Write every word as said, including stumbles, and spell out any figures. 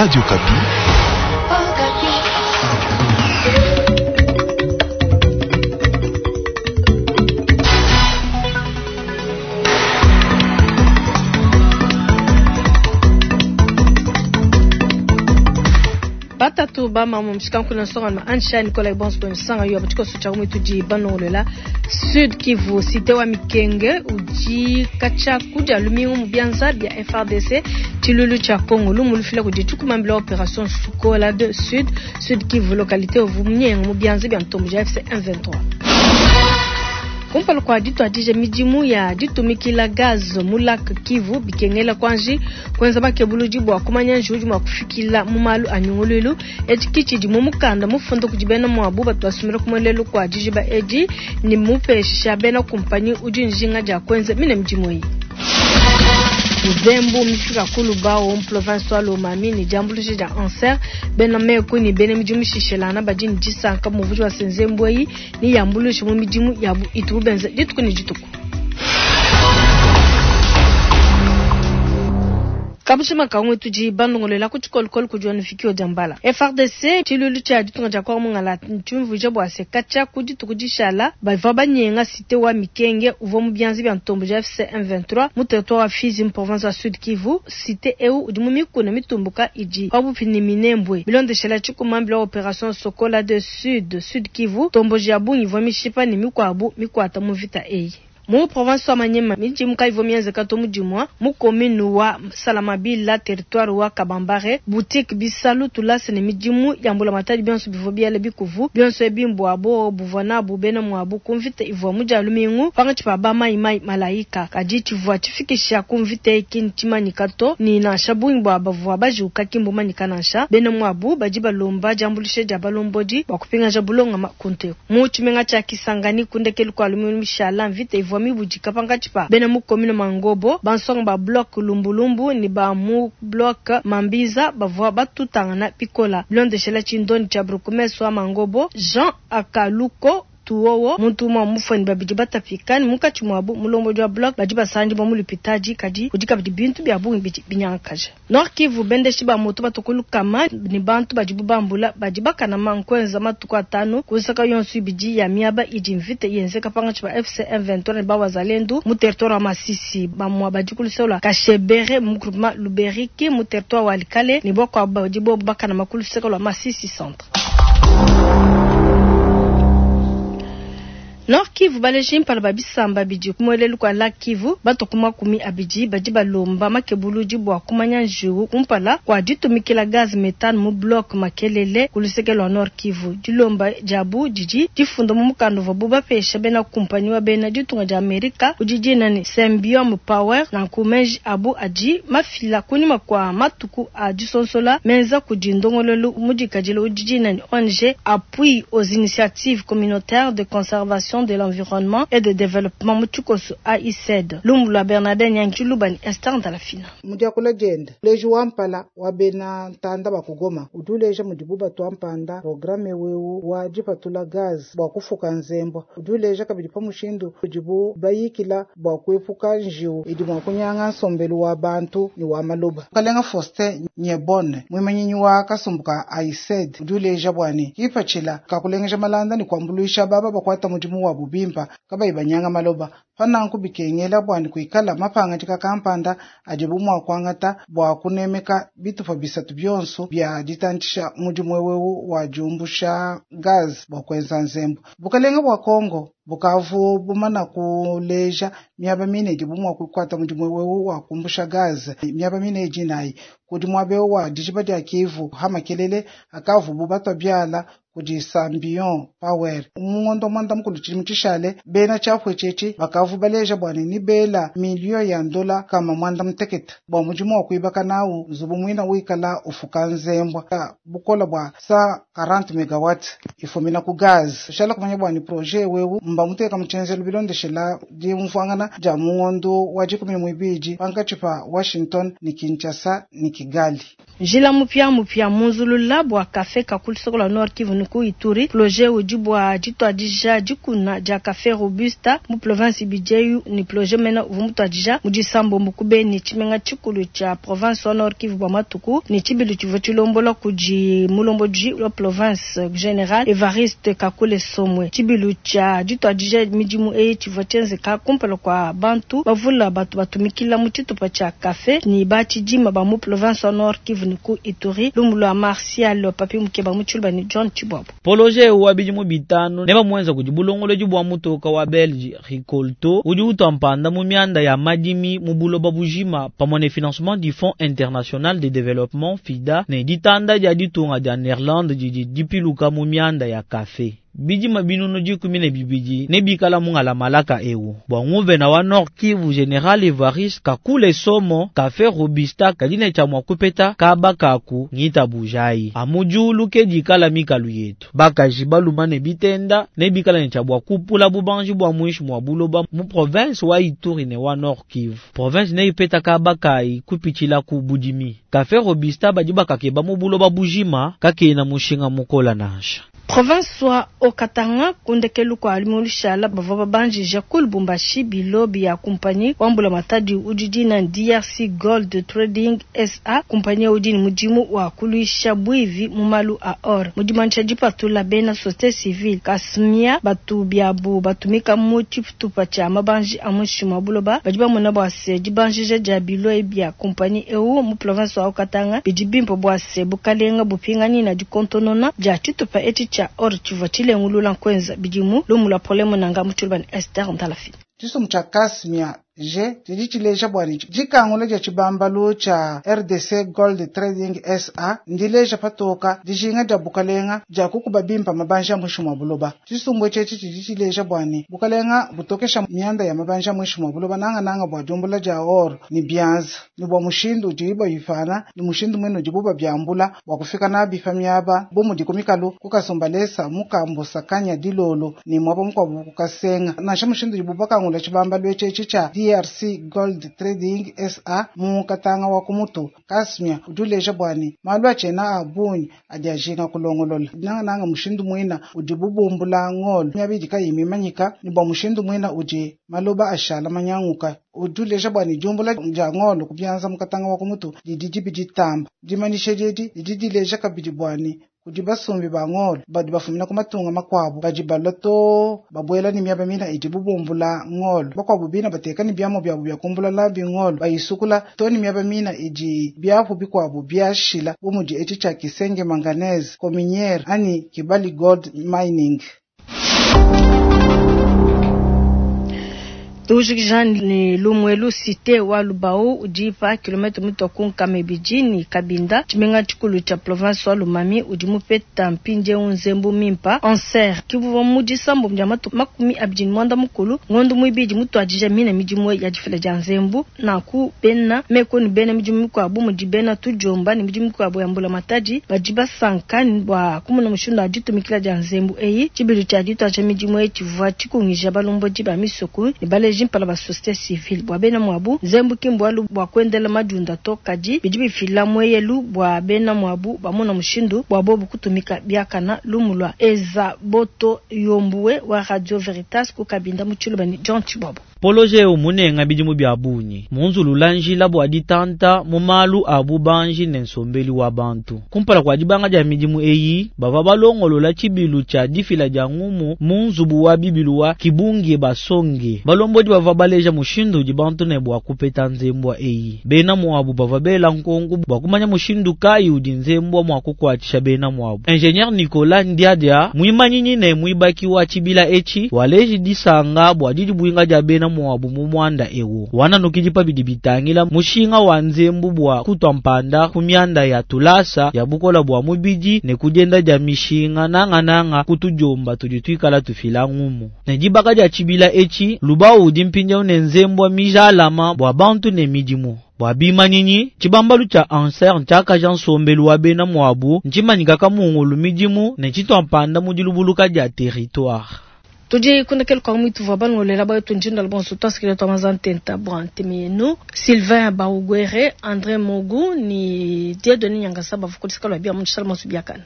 Radio Okapi. Batatu bamama mushikanku nsonga ma ansha Nicolas Bonso nsanga yo batiko socha mu tudi banolola Sud Kivu cité wa Mikenge udi kacha kuja lumingu mu bianza bia F R D C chilulu cha Congo lumu lufila kudi chukumambila opération Sukola de Sud Sud Kivu localité ovumnyengo mu bianza bia ntombo ja F C M vingt-trois. Kumpala kwa ditu adije midimu ya ditumikila gaz mu lac Kivu bikengela kwanji kwenza makebuluji bwa kumanya njuji mwa kufikila mu malu anyungululu echikichi di mu mukanda mufundo kujibena mwabu batu basumira kumwelelu kwa dijiba edi ni mupesha bena kumpanyi udi njinga ja kwenza mine midimu iyi. Nzembu mifika kulubao province wa Lomami ni jambuluji ja anser bena meku ni bene midimu shishelana badi ni disanka muvuji wa senzembu yi ni yambuluji mu midimu yabu itubenze dituku ni dituku. Kabushima kangwe tuji bandongolela ku tshikolokolo ku John Fikio Jambala. F R D C tshilulu tshia ditunga dia kwa mungala ntumvuja bwa se kacha ku dituku dishala bava banyenga cité wa Mikenge uvo mu bianzi bia ntombo ja F C M vingt-trois mu territoire wa Fizi mu province wa Sud Kivu cité eu udi mu mikuna mitumbuka idi pabupi Minembwe bilondeshela tshikumambila opération Sokola de Sud Sud Kivu tombo ja bungi vo mishipa ni mikwabu mikwata mu vita eyi. Mu province wa Manyema midimu kaivo mienze kato mudimwa mu commune wa Salamabila territoire wa Kabambare boutique bisalu tulase ne midimu ya mbula matadi bionso bivo biale bikuvu bionso ebimbo abo buvana bubena mwabu kumvite ivwa mujalu mingu pangachi pa ba mai mai malaika kadi chivwa chifikisha kumvite ikintimani kato ni na shabungi bwa bavwa bajuka kimbo manika nansha bena mwabu baji balomba jambulishe ja balombodi bakupinga jabulonga makunte mu chimenga cha Kisangani kundekelu kwa lumu mishala mvite ivwa mibujika pangachipa bena mu commune Mangobo bansonga ba bloc lumbulumbu ni ba mu bloc Mambiza bavwa batutangana pikola blondeshela chindoni cha brukumeso wa Mangobo Jean Akaluko tuwowo muntu mwa mufweni babidi batafikani mukachi mwabu mulombo jwa bloc baji basandi ba mulipitaji kadi kudika bidi bintu bya bungi bidi binyankaje Nord Kivu bendeshi ba moto batokulukama ni bantu baji bubambula baji bakana mankwenza matuku atano kusaka yonsu ibidi ya miaba idi mvite yenzeka pangachi ba F C M vingt-trois ni ba wazalendu mu territoire wa Masisi bamwa baji kulusola Kashebere mu groupement Luberiki mu territoire wa Likale ni bokwa baji bo bakana makuluseka lwa Masisi centre. Nord Kivu baleji mpala babisamba bidi kumwelelu kwa Lac Kivu batokuma kumi abidi badi balomba makebuluji bwa kumanya njuwu kumpala kwa ditumikila gaz methane mu bloc makelele kulusekelo Nord Kivu dilomba jabu didi difunda mu mukanda wa bubapesha bena kumpanyi wa bena ditunga dia Amerika udidina ni Symbiome Power na nkumeji abu adi mafila kunyuma kwa matuku a disonsola menza kudindongololu mudikadilo udidina ni O N G appui aux initiatives communautaires de conservation de l'environnement et de développement mutukosu A I C D Lumbula Bernardin Nyanchulubani Esther Ndalafina Mudiakula jenda leji wampala wabena ntanda bakugoma uduleja mudibuba twampanda programme wewu wajipatula gaz bwa kufuka nzembo uduleja kabidi pa mushindu udibu bayikila bwa kuepuka njiwu idi mwa kunyanga nsombelu wa bantu ni wa maloba Kalenga Faustin Nyebone mwimenyinyi wa kasumbuka A I C D uduleja bwani kipachila kakulengeja malanda ni kwambuluisha baba bakwata mudimu wa bubimpa kabayi banyanga maloba pananku bikengela bwani kuikala mapanga tika kampanda adibu mwa kwangata bwa kunemeka bitupa bisatu byonso bya ditantisha mudimu wewewu wa jumbusha gaz bwa kwenza nzembo bukalenga bwa Kongo bukavu bumana kuleja miaba mine dibu mwa kukwata mudimu wewewu wa kumbusha gaz miaba mine jinayi kudi mwabe wa dijiba dia Kivu hamakelele akavu bubatwa byala kudi Sambion Power mungondo mwanda mukulu chilimu chishale bena chapwe chechi bakavu baleja bwani ni bela milio ya ndola kama mwanda mteketa bwa mujimu wa kuibaka nawu nzubu mwina wikala ufuka nzembwa bukola bwa sa quarante megawatt ifumina ku gaz shala kumanya bwani projet wewu mba muteka muchenzelo bilondeshela di mfwangana ja mungondo wa jikumi mwibiji pankachipa Washington ni Kinshasa ni Kigali Njila mupya mupya munzulula bwa kafe kakulisokola Nord Kivu ni ku Ituri projet udi bwa ditwadija dikuna dia kafe robusta mu province ibidi ibidi eyu ni projet mena uvua mutuadija mu disambombo ku Beni, tshimenga tshikulu tshia province wa Nord Kivu bua matuku ni tshibilu tshivua tshilombola kudi mulombodi wa province general Evariste Kakule Somwe. Tshibilu tshia dituadija midimu eyi tshivua tshienzeka kumpala kua bantu bavula batu batumikila mu tshitupa tshia kafe ni batshidima ba mu province wa Nord Kivu ni ku Ituri. Lumu lwa Martial Papi Mukeba mu Tshiluba ni John Chibwabo. Poloje wa bidimu bitanu ne bamuenza kudi bulongolodi bua mutoka wa Belge Rikolto udi utua mpanda mu mianda ya madimi mu buloba bujima pamue ne financement du Fonds international de développement FIDA ne ditanda dia ditunga dia Nerlande didi dipiluka mu mianda ya kafe. Bidima binunu dikumi ne bibidi ne bikala mungala malaka ewu bua nguvena wa Nord Kivu General Evariste Kakule Somo kafe robusta kadi ne tshia mua kupeta kaba kaku ngita bujayi amujulu ke dikala mikalu yetu bakaji baluma ne bitenda ne bikala ne tshia bua kupula bubanji bua muinshi mua buloba mu province wa Ituri ne wa Nord Kivu. Province ne ipeta kaba kayi kupitshila ku budimi kafe robusta badi bakakeba mu buloba bujima kakena mushinga mukola nansha. Province wa Haut-Katanga kundekelu kwa limulishala bavua babanjija ku Lubumbashi bilo bya kumpanyi wa mbulamatadi udi na D R C Gold Trading S A, kumpanyi udi ni mudimu wa kuluisha bwivi mu malu a or. Mudimanisha dipatula bena société civile kasmia batu byabu batumika mu tshitupa tshia mabanji a muinshi mua buloba badi bamona bua se dibanjija dia bilo bya kumpanyi eu mu province wa Haut-Katanga bidi bimpe bua se bukalenga bupingani na dikontonona dia tshitupa etshi tshia or tshivua tshilengulula nkwenza bidimu lumu lwa probleme nanga mu Tshiluba ni Esther Ndalafi. Tshisumbu tshia Kasmia G tshidi tshileja bua ne dikangula dia tshibambalu tshia R D C Gold Trading S A ndileja patoka dijinga dia bukalenga dia kukuba bimpa mabanja muinshi mua buloba. Tshisumbu etshi tshidi tshileja bua ne bukalenga butokesha mianda ya mabanja muinshi mua buloba nanga nanga bua diumbula dia or ni bianza ni bua mushindu udi bayifana ni mushindu mwene udibu babiambula bua kufika nabi pa miaba bu mudi ku mikalu kukasumbalesa mukambo sakanya dilolo ni mwaba mukuabu kukasenga nansha mushindu udibu bakangula tshibambalu etshi tshia D R C Gold Trading S A mu Katanga wa kumutu Kasmia udileja bwani malu achena abunyi adi ajinga kulongolola nanga nanga mushindu mwina udi bubumbula ngolo myabidi kayimimanyika ni bwa mushindu mwina udi maloba ashala manyanguka udileja bwani jumbula ja ngolo kubyanza mu Katanga wa kumutu didi dibi ditamba dimanishe didi didi dileja kabidi bwani kudi basumbi ba ngolo badi bafumina ku matunga makuabu badi baloto babuela ni miaba mina idi bubumbula ngolo bakuabu bina bateka ni biamo byabu bya kumbula labi ngolo bayisukula to ni miaba mina idi byapu bikuabu byashila bumudi etshi tshia Kisenge Manganese Kominiere ani Kibali Gold Mining. Tujikija ni Lumwelu cité wa Lubao udi pa kilomètre mutoku nkamebiji ni Kabinda tshimenga tshikulu tshia province wa Lomami udi mupeta mpindiewu nzembu mimpa anser kivuva mu disambo dia matuku makumi abidi ne muanda mukulu ngondo muibidi mutuadija mina midimu ya difila dia nzembu nanku bena meko ni bena midimu mikuabu mudi bena tudiomba ni midimu mikuabu ya mbula matadi badi basanka bua kumona mushindu wa ditumikila dia nzembu eyi tshibilu tshia dituadija midimu eyi tshivua tshikungija balombodi ba misoko ne baleji mpala ba société civile bua bena mwabu nzembu kimbwalu bua kuendela madiunda to kadi bidi bifila mweyelu bua bena mwabu bamona mushindu bua bobu kutumika biakana lumu lwa Eza Boto Yombuwe wa Radio Veritas ku Kabinda mu Tshiluba ni John Chibwabo. Poloje umunenga bidimu bya bunyi munzulula njila bua ditanta mu malu a bubanji ne nsombeli wa bantu kumpala kwa dibanga dia midimu eyi bava balongolola tshibilu tshia difila dia ngumu mu nzubu wa bibilu wa Kibungi basonge balombodi bava baleja mushindu udi bantu ne bua kupeta nzembwa eyi bena muabu bava bela nkongu bua kumanya mushindu kayi udi nzembwa mua kukuatshisha bena muabu. Ingénieur Nicolas Ndiadia muimanyinyi ne muibaki wa tshibila etshi waleji disanga bua didibuinga dia bena muabu mu mwanda ewu wananukidi pa bidi bitangila mushinga wa nzembu bua kutwa mpanda ku mianda ya tulasa ya bukola bua mubidi ne kudienda dia mishinga nangananga kutujomba tudi tuikala tufila ngumu ne dibaka dia tshibila etshi lubao udi mpindieu ne nzembwa mijalama bua bantu ne midimu bua bimanyinyi tshibambalu tshia anser ntshiakaja nsombelu wa bena muabu ntshimanyika kamungulu midimu ne tshitwa mpanda mu dilubuluka dia territoire. Tudi kundekelu kwa mwitu vwa balongolela bayo tunjinda bonso twasikile twa mazantenta bwa ntemenu Sylvain Baugwere André Mogu ni Dieudonné Nyangasa bavukulisika lwa bia mu tshisala masu biakana.